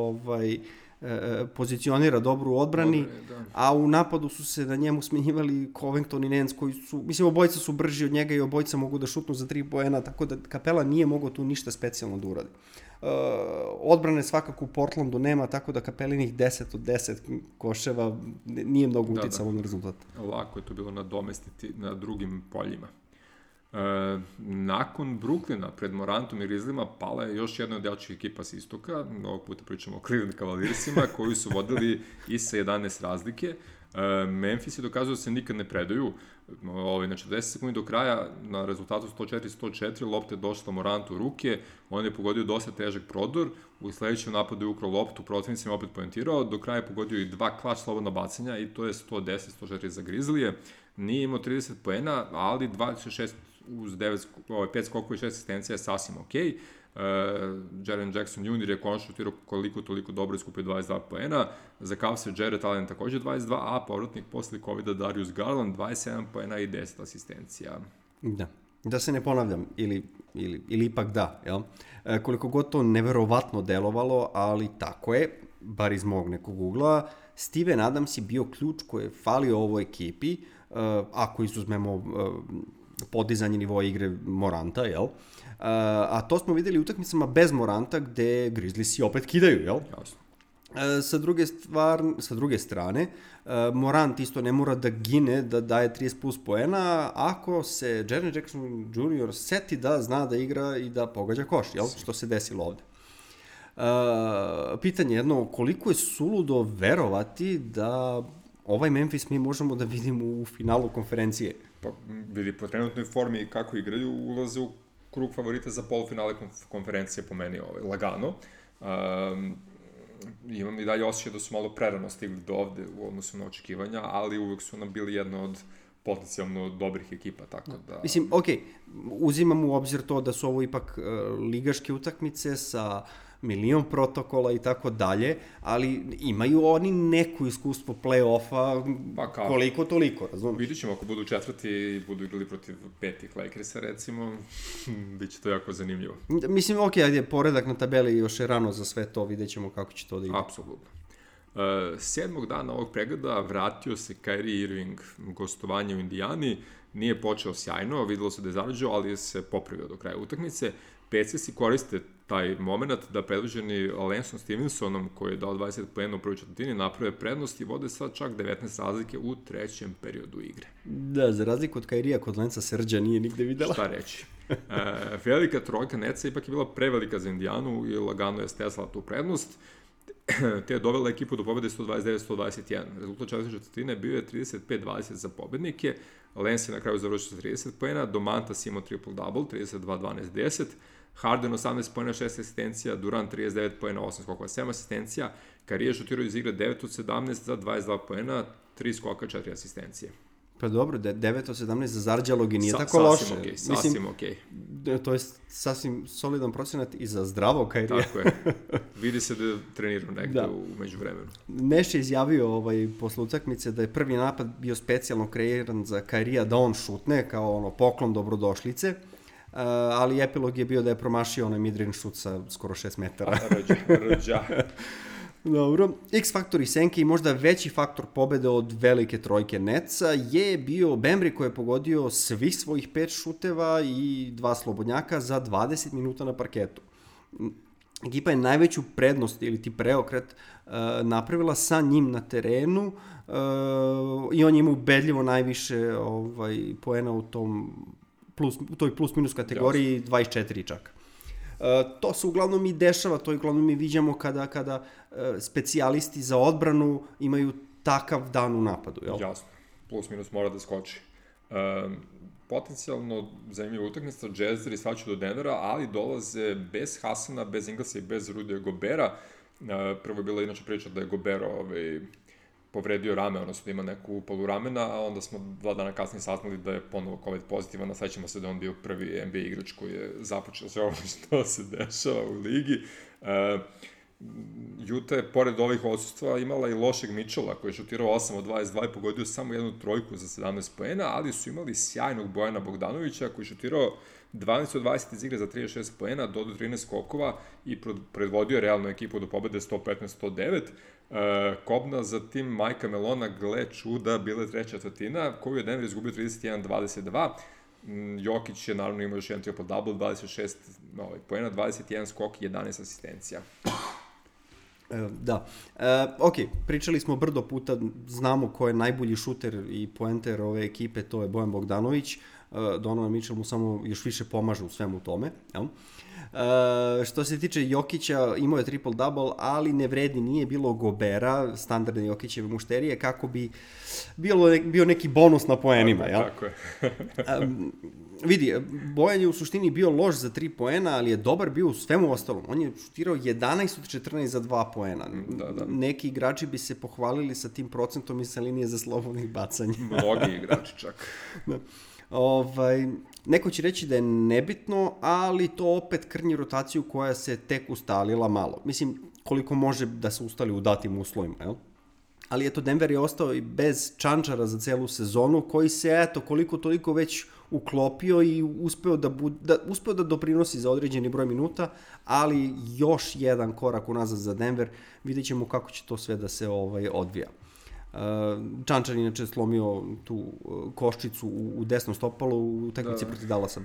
pozicionira dobro u odbrani, a u napadu su se na njemu smenjivali Covington i Nance, koji su, mislim, obojica su brži od njega i obojica mogu da šutnu za 3 poena, tako da Capela nije mogao tu ništa specijalno da uradi. Odbrane svakako u Portlandu nema, tako da Capelinih 10 od 10 koševa nije mnogo uticalo na rezultat. Lako je to bilo nadomestiti na drugim poljima. Nakon Brooklyna pred Morantom i Grizzlyma pala je još jedna od jačih ekipa sa istoka, ovog puta pričamo o Cleveland Cavaliersima, koji su vodili i sa 11 razlike. Memphis je dokazao da se nikad ne predaju, na 40 sekundi do kraja, na rezultatu 104-104, lopta je došla Morantu u ruke, on je pogodio dosta težak prodor, u sledećem napadu je ukrao loptu, protivnicima opet pojentirao, do kraja je pogodio i 2 klač slobodna bacanja i to je 110-104 za Grizzlije. Nije imao 30 poena, ali 26 uz 5 skokova i 6 asistencija je sasvim okej. Jaren Jackson Jr. je konačno šutirao koliko toliko dobro, iskupio 22 poena. Za Cavs je Jarrett Allen takođe 22, a povratnik posle COVID-a Darius Garland 27 poena i 10 asistencija. Da se ne ponavljam, ili ipak da, jel? Koliko god to neverovatno delovalo, ali tako je, bar iz mog nekog ugla, Steven Adams je bio ključ koji je falio ovoj ekipi, ako izuzmemo podizanje nivoa igre Moranta, jel? A to smo videli u utakmicama bez Moranta, gde Grizzliesi opet kidaju, jel? Jasno. Sa druge strane, Morant isto ne mora da gine, da daje 30 plus poena, ako se Jaren Jackson Jr. seti da zna da igra i da pogađa koš, jel? Što se desilo ovde. Pitanje jedno, koliko je suludo verovati da ovaj Memphis mi možemo da vidimo u finalu konferencije? Pa vidi, po trenutnoj formi kako igraju, ulaze u krug favorita za polufinale konferencije, po meni lagano. Imam i dalje osjećaj da su malo prerano stigli do ovde u odnosu na očekivanja, ali uvek su nam bili jedna od potencijalno dobrih ekipa, tako da... Mislim, okej, uzimam u obzir to da su ovo ipak ligaške utakmice sa milion protokola i tako dalje, ali imaju oni neko iskustvo play-offa, koliko toliko, razumiješ? Vidit ćemo, ako budu četvrti i budu igrali protiv petih Lakersa, recimo, bit će to jako zanimljivo. Mislim, okej, ajde, poredak na tabeli još je rano za sve to, vidjet ćemo kako će to da ide. Apsolutno. 7. dana ovog pregleda vratio se Kyrie Irving, gostovanje u Indijani, nije počeo sjajno, videlo se da je zarađao, ali se popravio do kraja utakmice. Pacers koriste taj moment da predvođeni Lanceom Stevensonom, koji je dao 20 poena u prvoj četvrtini, naprave prednost i vode sad čak 19 razlike u trećem periodu igre. Da, za razliku od Kairija, kod Lenca Srđa nije nigde videla. Šta reći? Velika trojka Netsa ipak je bila prevelika za Indijanu i lagano je stezala tu prednost, te je dovela ekipu do pobede 129-121. Rezultat četvrte četvrtine bio je 35-20 za pobednike. Lance je na kraju završio 30 poena, Domantas imao triple-double, 32-12-10, Harden 18 poena, 6 asistencija, Durant 39 poena, 8 skokova, 7 asistencija, Kyrie je šutirao iz igre 9 od 17 za 22 poena, 3 skoka, 4 asistencije. Pa dobro, 9 od 17 za Zarđalog i nije tako loše. Sasvim okej. To je sasvim solidan procenat i za zdravog Kairija. Tako je. Vidi se da je trenirao negde u međuvremenu. Neš je izjavio posle utakmice da je prvi napad bio specijalno kreiran za Kairija da on šutne, kao poklon dobrodošlice, ali epilog je bio da je promašio onaj midrange šut sa skoro 6 metara. Rđa. Dobro. X faktor i senke i možda veći faktor pobede od velike trojke Netsa je bio Bembry koji je pogodio svih svojih 5 šuteva i 2 slobodnjaka za 20 minuta na parketu. Ekipa je najveću prednost ili ti preokret napravila sa njim na terenu i on je imao ubedljivo najviše poena u toj plus minus kategoriji, 24 čak. To se uglavnom i dešava, to uglavnom i viđamo kada specijalisti za odbranu imaju takav dan u napadu, jel? Jasno, plus minus mora da skoči. Potencijalno zanimljiva utakmica, Jazzeri svaću do Denvera, ali dolaze bez Hasana, bez Inglesa i bez Rudija Gobera. Prvo je bila inače priča da je Gobero povredio rame, odnosno da ima neku upalu ramena, a onda smo 2 dana kasnije saznali da je ponovo COVID pozitivan, a sećamo se da on bio prvi NBA igrač koji je započeo sve ovo što se dešava u ligi. Utah je, pored ovih odsustva, imala i lošeg Mitchella, koji je šutirao 8 od 22 i pogodio samo jednu trojku za 17 poena, ali su imali sjajnog Bojana Bogdanovića, koji je šutirao 12 od 20 iz igre za 36 poena, dodao 13 skokova i predvodio realnu ekipu do pobede 115-109. Kobna za tim Majka Melona, gle čuda, bila je treća četvrtina, koju je Denver izgubio 31-22. Jokić je naravno imao još jedan triple-double, 26 poena, 21 skok i 11 asistencija. Da. Ok, pričali smo brdo puta, znamo ko je najbolji šuter i poenter ove ekipe, to je Bojan Bogdanović. Donovan Mitchell mu samo još više pomaže u svemu tome. Jel? Što se tiče Jokića, imao je triple-double, ali ne vredi, nije bilo Gobera, standardne Jokićeve mušterije, kako bi bio neki bonus na poenima. Jel? Tako je. Vidi, Bojan je u suštini bio loš za 3 poena, ali je dobar bio u svemu ostalom. On je šutirao 11 od 14 za 2 poena. Da. Neki igrači bi se pohvalili sa tim procentom i sa linije za slobodnih bacanja. Mnogi igrači čak. Da. Neko će reći da je nebitno, ali to opet krnji rotaciju koja se tek ustalila malo. Mislim, koliko može da se ustali u datim uslovima, jel? Ali eto, Denver je ostao i bez Čančara za celu sezonu, koji se, koliko toliko već uklopio i uspeo da doprinosi za određeni broj minuta, ali još jedan korak unazad za Denver, vidjet ćemo kako će to sve da se odvija. Čančar inače slomio tu koščicu u desnom stopalu u utakmici protiv Dallasa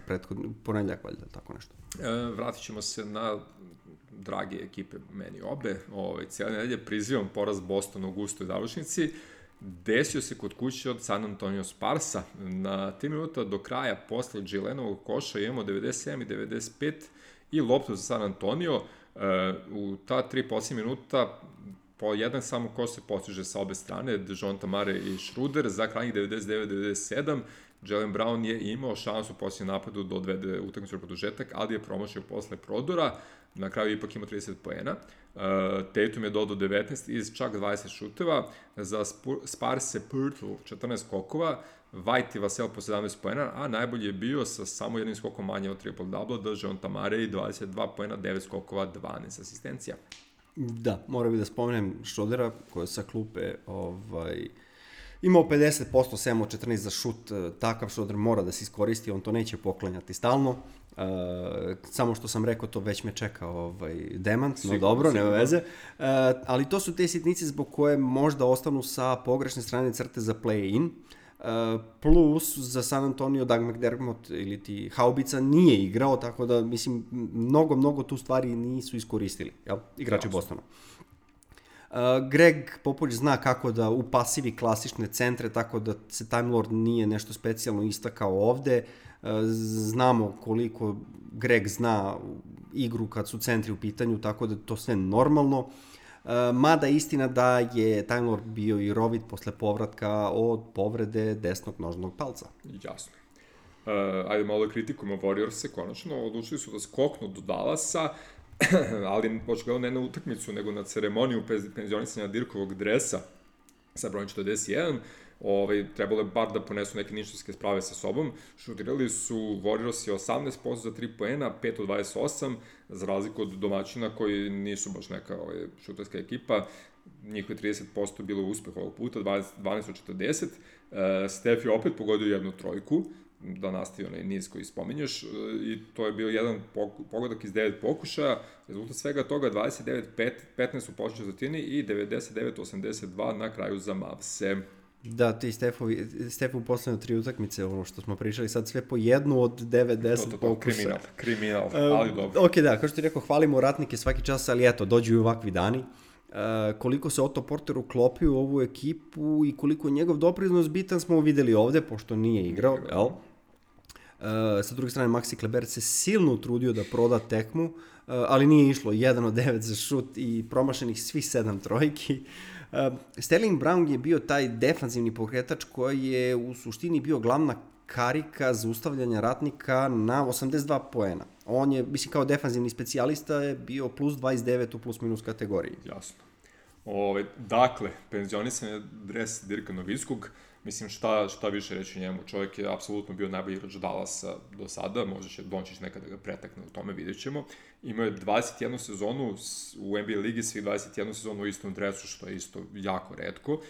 ponedjeljak, valjda, tako nešto. Vratit ćemo se na drage ekipe, meni obe. Cijela nedelje prizivam poraz Bostona u gustoj završnici. Desio se kod kuće od San Antonio Sparsa. Na 3 minuta do kraja posle Gilenovog koša imamo 97 i 95 i loptu za San Antonio. U ta 3 posljednje minuta po jedan samo koš se postiže sa obe strane, Dejounte Murray i Schroeder, za krajnjih 99-97. Jalen Brown je imao šansu u posljednjem napadu da odvede utakmicu u produžetak, ali je promašio posle prodora, na kraju ipak imao 30 poena. Tatum je dodao 19 iz čak 20 šuteva, za Sparse Pirtle 14 skokova, White i Vassell po 17 poena, a najbolji je bio sa samo jednim skokom manje od triple-double, Dejounte Murray 22 poena, 9 skokova, 12 asistencija. Da, moram da spomenem Schrodera, koji je sa klupe imao 50%, 7 od 14 za šut, takav Schroder mora da se iskoristi, on to neće poklanjati stalno. Samo što sam rekao, to već me čeka demant, no dobro, nema veze. Ali to su te sitnice zbog koje možda ostanu sa pogrešne strane crte za play-in. Plus za San Antonio Doug McDermott ili ti Haubica nije igrao, tako da mislim mnogo tu stvari nisu iskoristili, jel? Igrači Bostona. Greg Popovich zna kako da upasivi klasične centre, tako da se Time Lord nije nešto specijalno istakao ovde. Znamo koliko Greg zna igru kad su centri u pitanju, tako da to sve normalno. Mada istina da je Time Lord bio i rovit posle povratka od povrede desnog nožnog palca. Jasno. Ajde malo kritikujemo Warriors-e, konačno odlučili su da skoknu do Dallasa, ali očigledno ne na utakmicu, nego na ceremoniju penzionisanja Dirkovog dresa sa brojem 41. trebalo je bar da ponesu neke ništarske sprave sa sobom. Šutirali su Warriorsi 18% za 3 poena, 5 od 28, za razliku od domaćina koji nisu baš neka šutarska ekipa. Njihovi 30% bilo uspeh ovog puta, 12 od 40. Steph je opet pogodio jednu trojku, da nastavi onaj niz koji spominješ, i to je bio jedan pogodak iz 9 pokušaja, rezultat svega toga 29-15 u početnoj četvrtini i 99-82 na kraju za Mavse. Da, ti Stefu u poslednje 3 utakmice, ono što smo pričali, sad sve po jednu od 9-10 pokušaja. Kriminal, ali dobro. Ok, da, kao što ti rekao, hvalimo ratnike svaki čas, ali eto, dođu i ovakvi dani. Koliko se Otto Porter uklopio u ovu ekipu i koliko je njegov doprinos bitan smo videli ovde, pošto nije igrao, jel? Sa druge strane, Maxi Kleber se silno utrudio da proda tekmu, ali nije išlo 1 od 9 za šut i promašenih svih 7 trojki. Sterling Brown je bio taj defanzivni pokretač koji je u suštini bio glavna karika zaustavljanja ratnika na 82 poena. On je, mislim, kao defanzivni specijalista je bio plus 29 u plus minus kategoriji. Jasno. Dakle, penzionisan je dres Dirka Nowitzkog. Mislim, šta više reći njemu. Čovjek je apsolutno bio najbolji igrač Dallasa do sada, možda će Dončić nekada ga pretakne, o tome vidjet ćemo. Imao je 21 sezonu u NBA ligi, svih 21 sezonu u istom dresu, što je isto jako retko.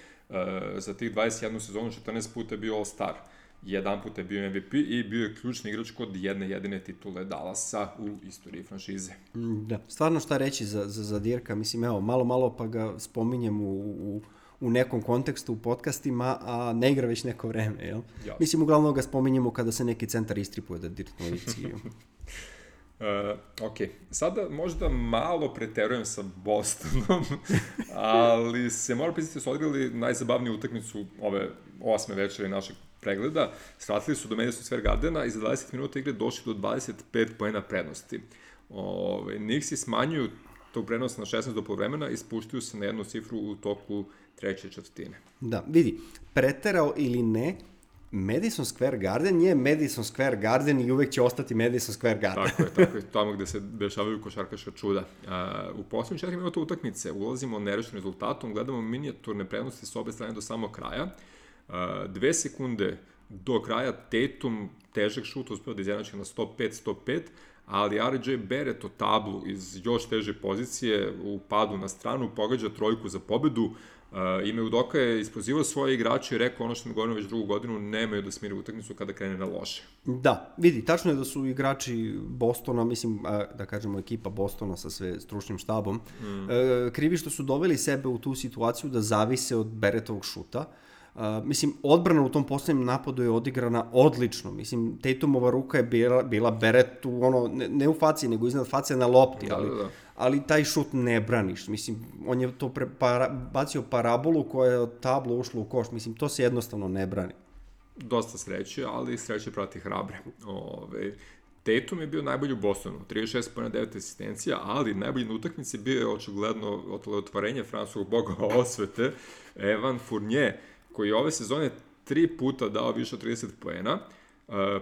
Za tih 21 sezonu 14 puta je bio All-Star. Jedan put je bio MVP i bio je ključni igrač kod jedne jedine titule Dallasa u istoriji franšize. Da, stvarno šta reći za Dirka, mislim, evo, malo pa ga spominjem u nekom kontekstu u podcastima, a ne igra već neko vreme, jel? Jasno. Mislim, uglavnom ga spominjemo kada se neki centar istripuje da Dirk Nowitzki. Ok, sada možda malo preterujem sa Bostonom, ali se mora priznati da su odigrali najzabavniju utakmicu ove 8. večeri našeg pregleda. Svratili su do Madison Square Gardena i za 20 minuta igre došli do 25 poena prednosti. Knicksi smanjuju tog prenosa na 16 do polovremena i spuštaju se na jednu cifru u toku treće četvrtine. Da, vidi, preterao ili ne, Madison Square Garden je Madison Square Garden i uvek će ostati Madison Square Garden. Tako je, tamo gde se dešavaju košarkaška čuda. U poslednjih 4 minuta utakmice ulazimo nerešenim rezultatom, gledamo minijaturne prednosti s obe strane do samog kraja. 2 sekunde do kraja Tatum težak šut uspeo da izjednači na 105-105, ali RJ Barrett o tablu iz još teže pozicije u padu na stranu pogađa trojku za pobedu. Ime Udoka je ispozivao svoje igrače i rekao ono što mi govorimo već drugu godinu, nemaju da smiri utakmicu kada krene na loše. Da, vidi, tačno je da su igrači Bostona, mislim, da kažemo ekipa Bostona sa sve stručnim štabom, krivi što su doveli sebe u tu situaciju da zavise od Barrettovog šuta. Mislim, odbrana u tom poslednjem napadu je odigrana odlično. Mislim, Tatumova ruka je bila Barrettu, ne u faci, nego iznad face na lopti, ali taj šut ne braniš. Mislim, on je to bacio parabolu koja je od tabla ušla u koš. Mislim, to se jednostavno ne brani. Dosta sreće, ali sreće prati hrabre. Tatum je bio najbolji u Bostonu, 36 pojena 9 asistencija, ali najbolji na utakmici bio je očigledno otvorenje francuskog boga osvete, Evan Fournier, koji je ove sezone 3 puta dao više od 30 poena,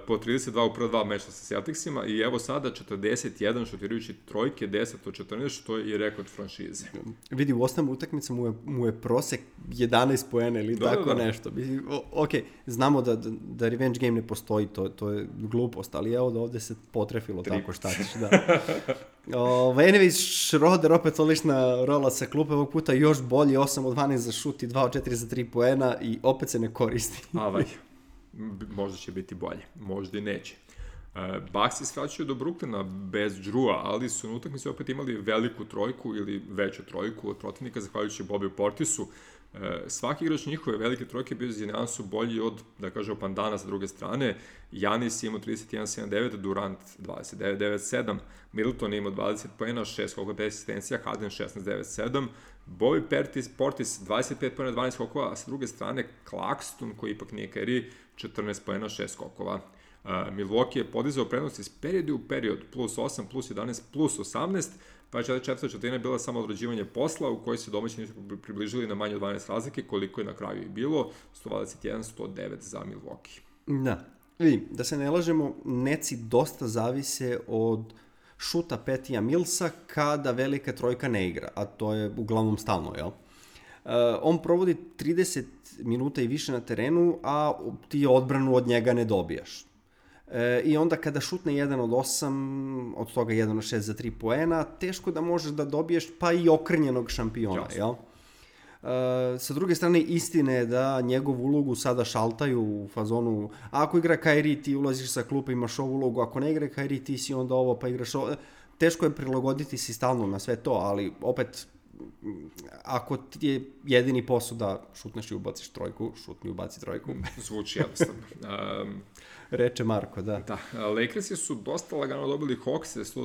po 32 u prva 2 meča sa Celticsima i evo sada 41 šutirajući trojke, 10 od 14, što je i rekord franšize. Vidi, u osnovnom utakmicu mu je prosek 11 poena ili tako nešto. Ok, znamo da revenge game ne postoji, to je glupost, ali evo da ovde se potrefilo tako, šta ćeš, da. Anyways, Schroeder opet odlična rola sa klupe, ovog puta još bolji, 8 od 12 za šut i 2 od 4 za 3 poena i opet se ne koristi. Možda će biti bolje, možda i neće. Bucks iskraćuju do Brooklyna bez Drewa, ali su na utakmici opet imali veliku trojku ili veću trojku od protivnika, zahvaljujući Bobby Portisu. Svaki igrač njihove velike trojke bio za nijansu bolji od, da kažemo, Pandana sa druge strane. Giannis imao 31-7-9, Durant 29-9-7, Middleton imao 20 poena, 6 skokova, 10 asistencija, Harden 16-9-7, Bobby Portis 25 poena, 12 skokova, a sa druge strane Claxton, koji ipak nije Kyrie, 14 poena, 6 skokova. Milwaukee je podizao prednost iz perioda u period, plus 8, plus 11, plus 18, pa je četvrta četvrtina bila samo odrađivanje posla u kojoj se domaći nisu približili na manje od 12 razlike, koliko je na kraju i bilo, 121-109 za Milwaukee. Da, vidim, da se ne lažemo, Netsi dosta zavise od šuta Patija Millsa kada velika trojka ne igra, a to je uglavnom stalno, jel? On provodi 30 minuta i više na terenu, a ti odbranu od njega ne dobijaš. I onda kada šutne 1 od 8, od toga 1 od 6 za 3 poena, teško da možeš da dobiješ pa i okrnjenog šampiona, jel? Sa druge strane, istine je da njegovu ulogu sada šaltaju u fazonu, ako igra Kyrie, ti ulaziš sa klupa, imaš ovu ulogu, ako ne igra Kyrie, ti si onda ovo, pa igraš ovo. Teško je prilagoditi si stalno na sve to, ali opet, ako ti je jedini posao da šutneš i ubaciš trojku, šutni i ubaci trojku. Zvuči jednostavno. Reče Marko, da. Da, Lakersi su dosta lagano dobili Hawkse,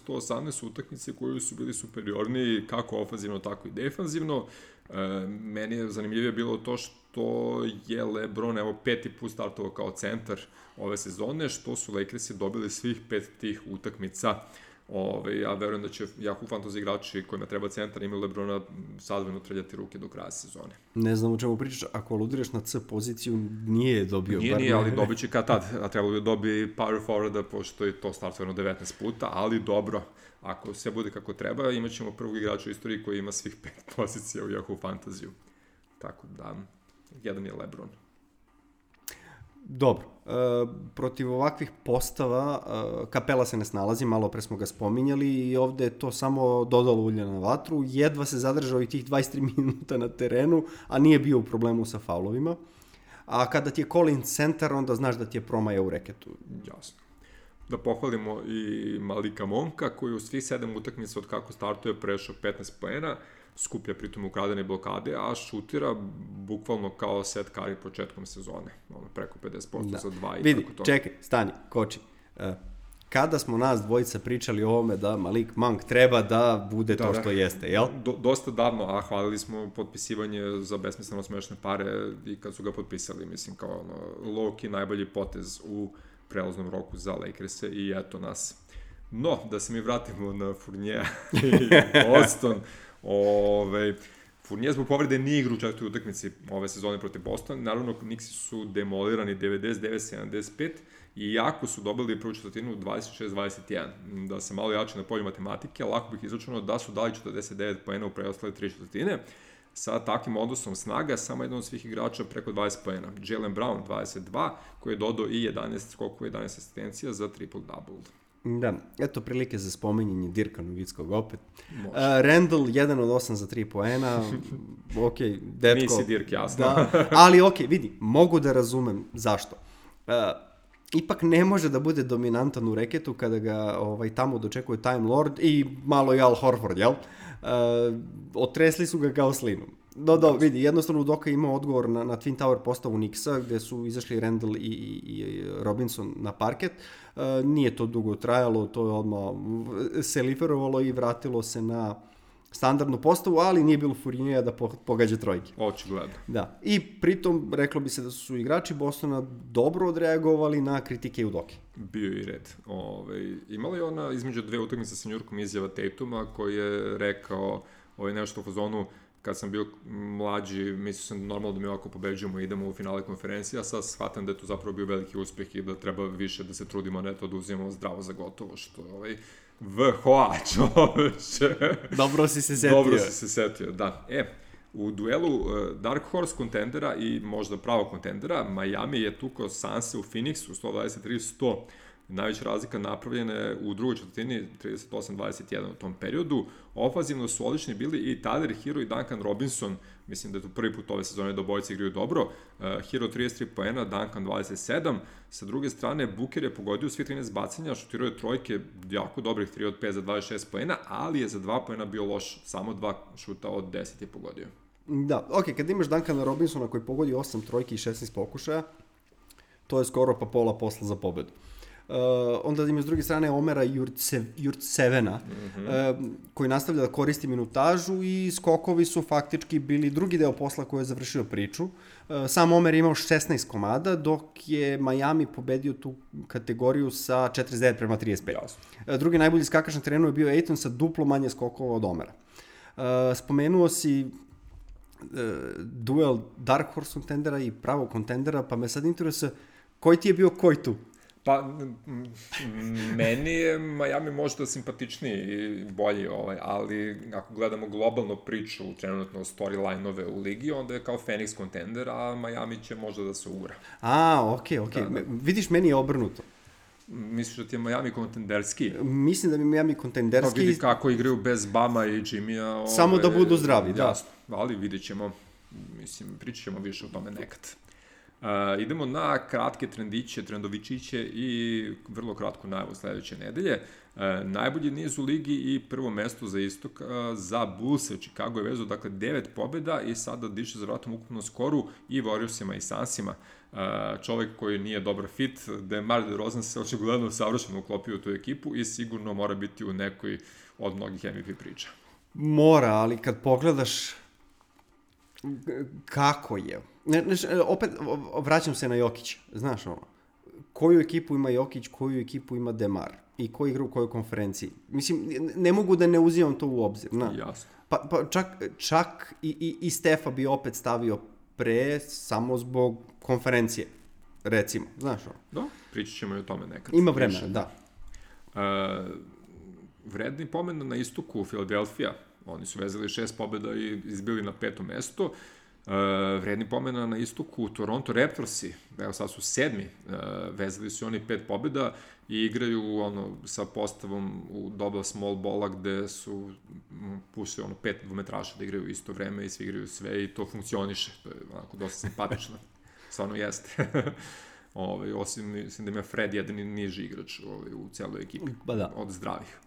134-118 utakmice koji su bili superiorniji kako ofenzivno, tako i defanzivno. Meni je zanimljivije bilo to što je LeBron, evo, 5. put startovao kao centar ove sezone, što su Lakersi dobili svih 5 tih utakmica. Ja verujem da će Yahoo Fantasy igrači kojima treba centar imaju LeBrona sadvojno trljati ruke do kraja sezone. Ne znam o čemu pričaš, ako aludiraš na C poziciju, nije dobio. Nije, ali dobit će kad tad, a trebalo bi dobi power forwarda, pošto je to startovano 19 puta, ali dobro, ako sve bude kako treba, imat ćemo prvog igrača u istoriji koji ima svih 5 pozicija u Yahoo Fantasy-u. Tako da, jedan je LeBron. Dobro, protiv ovakvih postava Kapela se ne snalazi, malo pre smo ga spominjali i ovde je to samo dodalo ulja na vatru, jedva se zadržao i tih 23 minuta na terenu, a nije bio u problemu sa faulovima, a kada ti je Collins centar, onda znaš da ti je promaja u reketu. Jasno. Da pohvalimo i Malika Monka, koji u svih 7 utakmica od kako startuje prešao 15 poena, skuplja pritom ukradene blokade, a šutira bukvalno kao Seth Curry početkom sezone. Preko 50% za 2 i vidi, tako to. Čekaj, stani, koči. Kada smo nas dvojica pričali o ovome da Malik Monk treba da bude to što jeste, jel? Dosta davno, a hvalili smo potpisivanje za besmisleno smešne pare i kad su ga potpisali, mislim, kao low-key najbolji potez u prelaznom roku za Lakers-e i eto nas. No, da se mi vratimo na Fournija i Boston. Fournier zbog povrede nije igru u četvrtoj utakmici ove sezone protiv Bostona. Naravno, Knicksi su demolirani 99-75 i jako su dobili prvu četvrtinu 26-21. Da se malo jače na polju matematike, lako bih izračunao da su dali 49 poena u preostale 3 četvrtine. Sa takvim odnosom snaga, samo jedan od svih igrača preko 20 poena. Jaylen Brown 22, koji je dodao i 11 skokova, 11 asistencija za triple-double. Da, eto prilike za spominjanje Dirka Nowitzkog opet. Randall 1 od 8 za 3 poena. Ok, detko. Nisi Dirk, jasno. Da, ali ok, vidi, mogu da razumem zašto. Ipak ne može da bude dominantan u reketu kada ga tamo dočekuje Time Lord i malo i Al Horford, jel? Otresli su ga kao slinu. Vidi, jednostavno Udoka ima odgovor na Twin Tower postavu Knicksa, gde su izašli Randall i Robinson na parket. Nije to dugo trajalo, to je odmah se liferovalo i vratilo se na standardnu postavu, ali nije bilo Fournija da pogađa trojke. Očigledno. Da. I pritom, reklo bi se da su igrači Bostona dobro odreagovali na kritike Udoke. Bio i red. Imala je ona između dve utakmice sa Njurkom izjava Tatuma, koji je rekao nešto u fazonu: kad sam bio mlađi, mislio sam normalno da mi ovako pobeđujemo i idemo u finale konferencije, a sad shvatam da je to zapravo bio veliki uspeh i da treba više da se trudimo, ne to da uzimamo zdravo za gotovo, što je VHA, čoveče. Dobro si se setio. Dobro si se setio, da. U duelu Dark Horse kontendera i možda pravog kontendera, Miami je tukao Sanse u Phoenixu 123-100. Najveća razlika napravljena je u drugoj četvrtini 38-21 u tom periodu. Ofanzivno su odlični bili i Tyler Hero i Duncan Robinson. Mislim da je to prvi put ove sezone da obojice igraju dobro. Hero 33 poena, Duncan 27. Sa druge strane, Booker je pogodio svi 13 bacanja, šutirao je trojke jako dobrih, 3 od 5 za 26 poena, ali je za 2 poena bio loš, samo 2 šuta od 10 je pogodio. Da, ok, kad imaš Duncana Robinsona koji pogodi 8 trojki i 16 pokušaja, to je skoro pa pola posla za pobedu. Onda ima s druge strane Omera Jurtsevena, koji nastavlja da koristi minutažu i skokovi su faktički bili drugi deo posla koji je završio priču. Sam Omer je imao 16 komada, dok je Miami pobedio tu kategoriju sa 49-35. Drugi najbolji skakač na terenu je bio Ayton sa duplo manje skokova od Omera. Spomenuo si duel Dark Horse kontendera i pravog kontendera, pa me sad interesuje koji ti je bio koji tu? Pa, meni je Miami možda simpatičniji i bolji, ali ako gledamo globalno priču, trenutno storyline-ove u ligi, onda je kao Phoenix kontender, a Miami će možda da se ugura. Okej. Da. Vidiš, meni je obrnuto. Misliš da ti je Miami kontenderski? Mislim da mi je Miami kontenderski. Pa vidi kako igraju bez Bama i Jimmya. Samo da budu zdravi, da. Jasno, ali vidjet ćemo, pričat ćemo više o tome nekad. Idemo na kratke trendovičiće i vrlo kratku najavu sledeće nedelje. Najbolji niz u ligi i prvo mesto za istok za Bullse. Chicago je vezao, dakle, 9 pobjeda i sada diše za vratom ukupno skoru i Warriorsima i Sunsima. Čovek koji nije dobar fit, DeMar DeRozan se očigledno savršeno uklopio u tu ekipu i sigurno mora biti u nekoj od mnogih MVP priča. Mora, ali kad pogledaš kako je... opet vraćam se na Jokića, znaš ono, koju ekipu ima Jokić, koju ekipu ima DeMar i ko igra u kojoj konferenciji. Mislim, ne mogu da ne uzimam to u obzir. Jasno. Pa čak i Stefa bi opet stavio pre samo zbog konferencije, recimo, znaš ono. Da, pričat ćemo i o tome nekad. Ima vremena, da. Vredni pomen na istoku Philadelphia, oni su vezali 6 pobjeda i izbili na 5. mesto. Vredni pomena na istoku Toronto Raptorsi, evo sad su 7. Vezali su oni 5 pobjeda i igraju sa postavom u doba small balla gde su puštili 5 dvometraša da igraju isto vreme i svi igraju sve i to funkcioniše, to je onako dosta simpatično, stvarno jeste. Osim, mislim da ima Fred jedan niži igrač u celoj ekipi, od zdravih.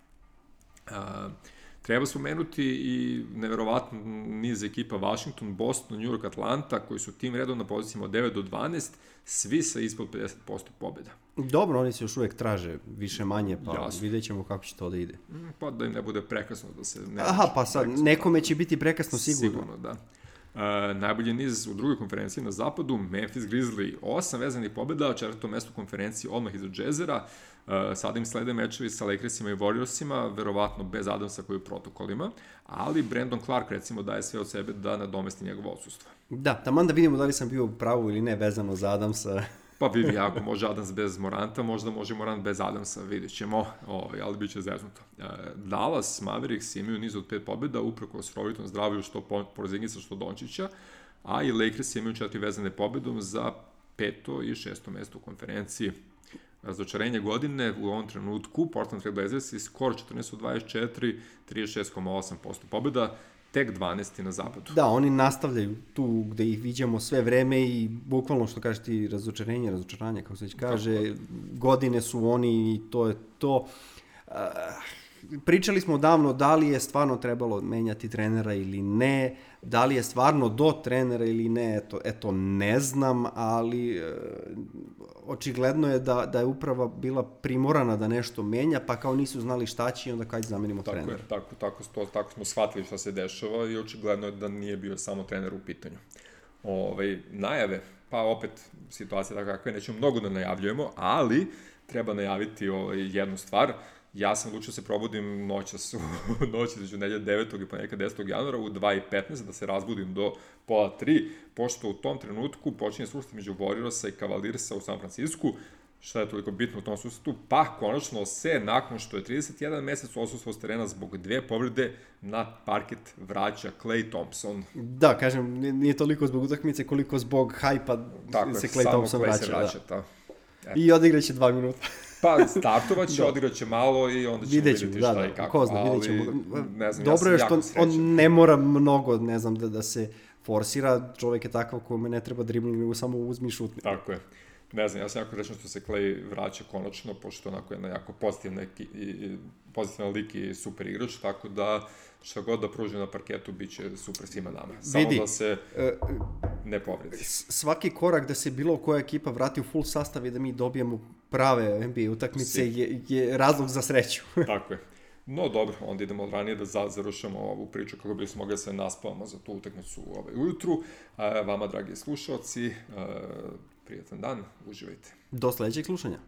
Treba spomenuti i neverovatno niz ekipa Washington, Boston, New York, Atlanta, koji su tim redom na pozicijama od 9 do 12, svi sa ispod 50% pobjeda. Dobro, oni se još uvek traže više manje, pa vidjet ćemo kako će to da ide. Pa da im ne bude prekasno da se... Aha, pa sad, nekome će biti prekasno sigurno. Sigurno, da. Najbolji niz u drugoj konferenciji na zapadu, Memphis Grizzly, 8 vezanih pobjeda, 4. mesto konferenciji odmah iza Jazzera. Sada im slede mečevi sa Lakersima i Warriorsima, verovatno bez Adamsa koji je u protokolima, ali Brandon Clark recimo daje sve od sebe da nadomesti njegovo odsustvo. Da, taman da vidimo da li sam bio u pravu ili ne vezano za Adamsa. Pa vidi, ako može Adams bez Moranta, možda može Morant bez Adamsa, vidjet ćemo, ali bit će zeznuto. Dallas Mavericks imaju niz od 5 pobjeda, uprkos rovitom zdravlju što Porzingisa, što Dončića, a i Lakers imaju 4 vezane pobjedom za 5. i 6. mesto u konferenciji. Razočarenje godine u ovom trenutku, Portland Trail Blazers i skor 14-24, 36,8% pobjeda, tek 12. na zapadu. Da, oni nastavljaju tu gde ih viđamo sve vreme i bukvalno što kažeš ti razočaranje, kako se već kaže, godine su oni i to je to. Pričali smo davno da li je stvarno trebalo menjati trenera ili ne, da li je stvarno do trenera ili ne, eto ne znam, ali očigledno je da je uprava bila primorana da nešto menja, pa kao nisu znali šta će i onda kad zamenimo trenera. Tako smo shvatili šta se dešava i očigledno je da nije bio samo trener u pitanju. Najave, pa opet situacija tako kakva je, nećemo mnogo da najavljujemo, ali treba najaviti jednu stvar. Ja sam odlučio se probudim noć između nedelje 9. i ponedjeljka 10. januara u 2:15 da se razbudim do 2:30, pošto u tom trenutku počinje susret među Warriorsa i Cavaliersa u San Francisku. Šta je toliko bitno u tom susretu? Pa konačno se, nakon što je 31 mesec odsustvo s terena zbog 2 povrede, na parket vraća Klay Thompson. Da, kažem, nije toliko zbog utakmice koliko zbog hajpa se Klay Thompson vraća. I odigraće 2 minuta. Pa startovaće, odigraće malo i onda ćemo vidjeti šta i kako. Ko zna, vidjet ćemo. Dobro je što on ne mora mnogo, ne znam, da se forsira. Čovjek je takav kome ne treba dribling, nego samo uzmi i šutni. Tako je. Ne znam, ja sam jako rečen što se Klay vraća konačno, pošto onako je jako pozitivan lik i super igrač, tako da šta god da pruži na parketu bit će super svima nama. Samo da se ne povredi. Svaki korak da se bilo koja ekipa vrati u full sastav i da mi dobijemo prave NBA utakmice je razlog za sreću. Tako je. No dobro, onda idemo ranije da završamo ovu priču kako bismo mogli da se naspavamo za tu utakmicu ujutru. Vama, dragi slušalci, prijatan dan, uživajte. Do sledećeg slušanja.